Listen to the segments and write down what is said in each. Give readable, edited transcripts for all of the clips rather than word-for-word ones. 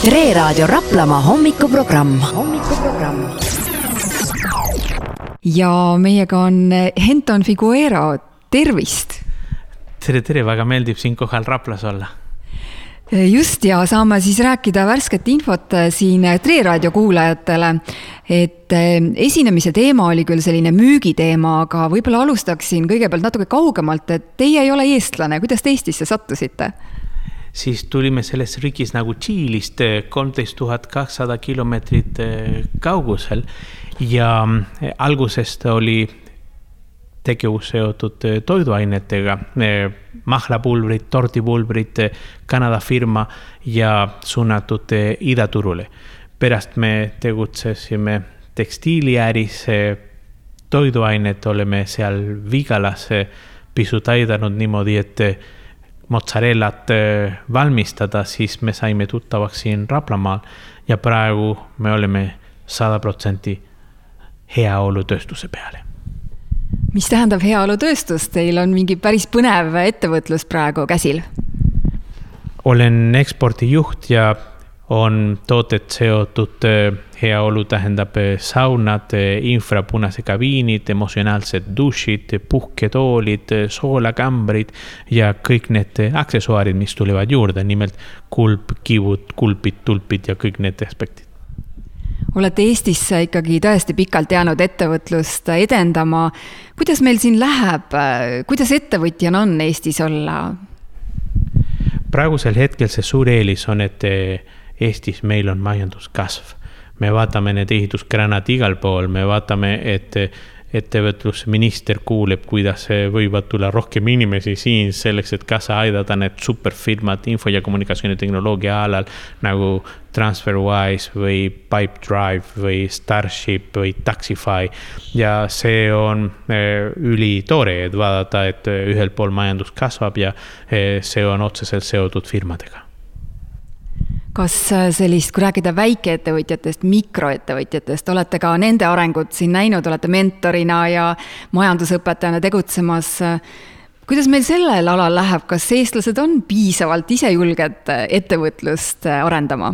Tre Raadio Raplamaa hommikuprogramm. Ja meiega on Henton Figuero, tervist! Tere, väga meeldib siin kohal Raplas olla. Just, ja saame siis rääkida värsket infot siin Tre Raadio kuulajatele, et esinemise teema oli küll selline müügiteema, aga võib-olla alustaksin kõigepealt natuke kaugemalt, et teie ei ole eestlane, kuidas te Eestisse sattusite? Siis tulime selles riigis nagu Tšiilist 13,200 kilomeetrit kaugusel ja algusest oli tegevus seotud toiduainetega, mahlapulbrid, tordipulbrid, Kanada firma ja suunatud idaturule. Pärast me tegutsesime tekstiiliäris, toiduainet oleme seal Vigalas pisut aidanud niimoodi, et mozzarellat valmistada, siis me saime tuttavaks siin Raplamaal ja praegu me oleme 100% heaolutööstuse peale. Mis tähendab heaolutööstus? Teil on mingi päris põnev ettevõtlus praegu käsil? Olen ekspordijuht ja on tooted seotud heaolu tähendab saunad, infrapunase kabiinid, emotsionaalsed dušid, puhketoolid, soolakambrid ja kõik need aksessuaarid, mis tulevad juurde, nimelt kulp, kivud, kulpid, tulpid ja kõik need aspektid. Olete Eestisse ikkagi tõesti pikalt jäänud ettevõtlust edendama. Kuidas meil siin läheb? Kuidas ettevõtjana on Eestis olla? Praegusel hetkel see suur eelis on, et Eestis meil on majanduskasv. Me vaatame need ehitusgranad igal pool, me vaatame, et ettevõtlusminister kuuleb, kuidas võivad tulla rohkem inimesi siin selleks, et kaasa aidata need superfirmad info- ja kommunikatsioonitehnoloogia alal nagu TransferWise või Pipedrive või Starship või Taxify. Ja see on ülitoore, et vaadata, et ühel pool majandus kasvab ja see on otseselt seotud firmadega. Kas sellist, kui rääkida väikeettevõtjatest, mikroettevõtjatest, olete ka nende arengut siin näinud, olete mentorina ja majandusõpetajana tegutsemas. Kuidas meil sellel alal läheb? Kas eestlased on piisavalt ise julged ettevõtlust arendama?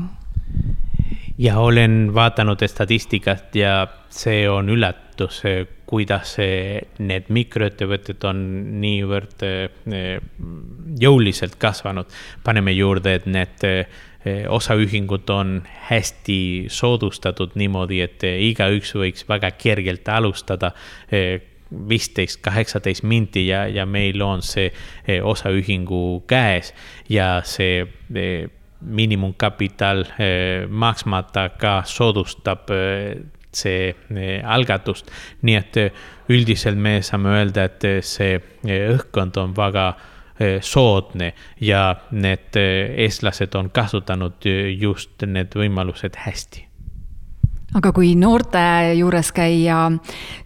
Ja olen vaatanud statistikat ja see on üllatus, kuidas need mikroettevõtted on niivõrd jõuliselt kasvanud. Paneme juurde, et need osaühingud on hästi soodustatud niimoodi, et igaüks võiks väga kergelt alustada 15-18 minti ja meil on see osaühingu käes ja see miinimumkapital maksmata ka soodustab see algatust. Nii et üldiselt me saame öelda, et see õhkkond on väga soodne ja need eestlased on kasutanud just need võimalused hästi. Aga kui noorte juures käia,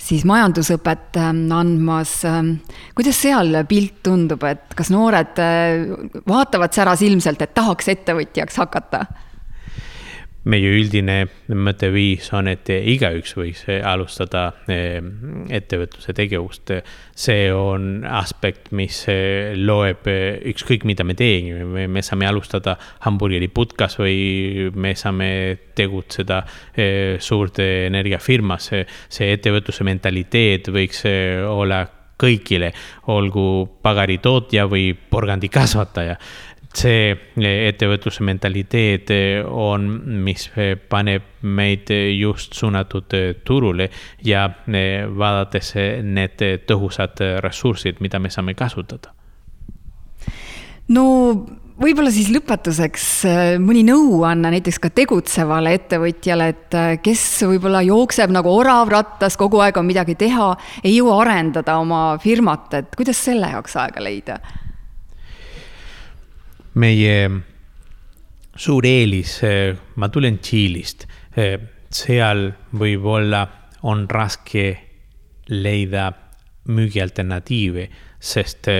siis majandusõpet andmas, kuidas seal pilt tundub, et kas noored vaatavad säras ilmselt, et tahaks ettevõtjaks hakata? Meie üldine mõtteviis on, et igaüks võiks alustada ettevõtluse tegevust. See on aspekt, mis loeb ükskõik mida me teeme. Me saame alustada hamburgeriputkas või me saame tegutseda suurte energiafirmas. See ettevõtluse mentaliteet võiks olla kõigile, olgu pagaritootja või porgandikasvataja. See ettevõtluse mentaliteet on, mis paneb meid just suunatud turule ja vaadates need tõhusad ressursid, mida me saame kasutada. No võib-olla siis lõpetuseks mõni nõuanne näiteks ka tegutsevale ettevõtjale, et kes võib-olla jookseb nagu orav rattas, kogu aeg on midagi teha, ei jõua arendada oma firmat, et kuidas selle jaoks aega leida? Meie suur eelis, ma tulen Tšiilist, seal võib-olla on raske leida müügialternatiive, sest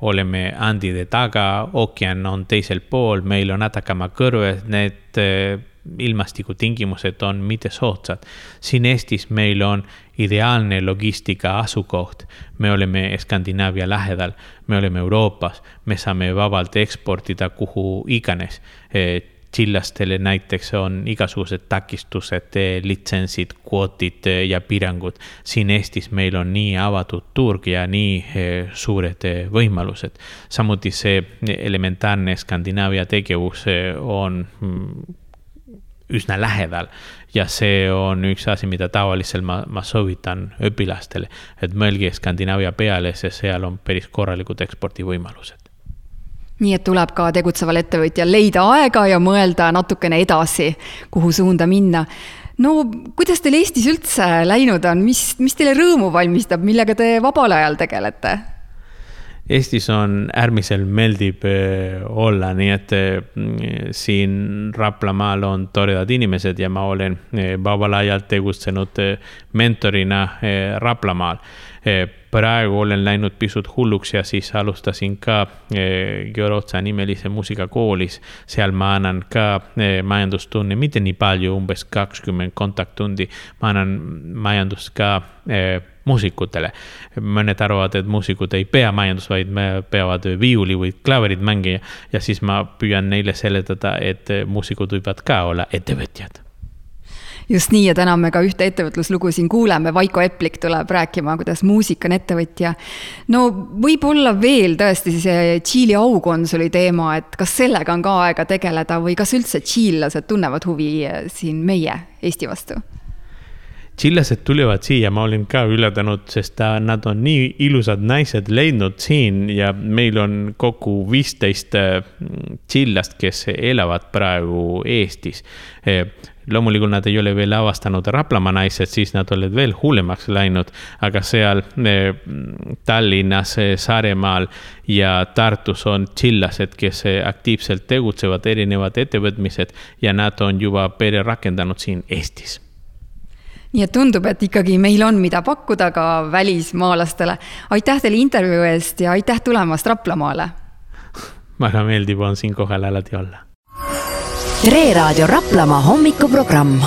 oleme Andide taga, ookean on teisel pool, meil on Atacama kõrves, need ilmastikutingimused on mitte soodsad. Siin Eestis meil on ideaalne logistika asukoht. Me oleme Skandinaavia lähedal, me oleme Euroopas, me saame vabalt eksportida kuhu iganes. Chillastele näiteks on igasugused takistused, litsentsid, kvootid ja piirangud. Siin Eestis meil on nii avatud turg ja nii suured võimalused. Samuti see elementaarne Skandinaavia tegevus on üsna lähedal ja see on üks asi, mida tavaliselt ma soovitan õpilastele, et mõelge Skandinaavia peale, sest seal on päris korralikud ekspordivõimalused. Nii et tuleb ka tegutseval ettevõtjal leida aega ja mõelda natukene edasi, kuhu suunda minna. No kuidas teil Eestis üldse läinud on? Mis teile rõõmu valmistab, millega te vabal ajal tegelete? Eestis on äärmiselt meeldib olla, nii et siin Raplamaal on toredad inimesed ja ma olen vabal ajal tegutsenud mentorina Raplamaal. Praegu olen läinud pisut hulluks ja siis alustasin ka Georotsa nimelise muusikakoolis. Seal ma annan ka majandustunni, mitte nii palju, umbes 20 kontakttundi. Ma annan majandust ka muusikutele. Mõned arvavad, et muusikud ei pea majandus, vaid me peavad viiuli või klaverid mängida ja siis ma püüan neile seletada, et muusikud võivad ka olla ettevõtjad. Just nii ja täna me ka ühte ettevõtluslugu siin kuuleme. Vaiko Eplik tuleb rääkima, kuidas muusik on ettevõtja. No võib-olla veel tõesti see Tšiili aukonsuli teema, et kas sellega on ka aega tegeleda või kas üldse tšiillased tunnevad huvi siin meie Eesti vastu? Tšillased tulevad siia, ma olin ka ületanud, sest nad on nii ilusad naised leidnud siin ja meil on kokku 15 tšillast, kes elavad praegu Eestis. Loomulikult nad ei ole veel avastanud Raplamaa naised, siis nad olid veel hullemaks läinud, aga seal Tallinnas, Saaremaal ja Tartus on tšillased, kes aktiivselt tegutsevad erinevad ettevõtmised ja nad on juba pere rakendanud siin Eestis. Nii et tundub, et ikkagi meil on mida pakkuda ka välismaalastele. Aitäh teile intervjuu eest ja aitäh tulemast Raplamaale. Väga meeldib on siin kohal alati olla. Tre Raadio Raplamaa hommikuprogramm.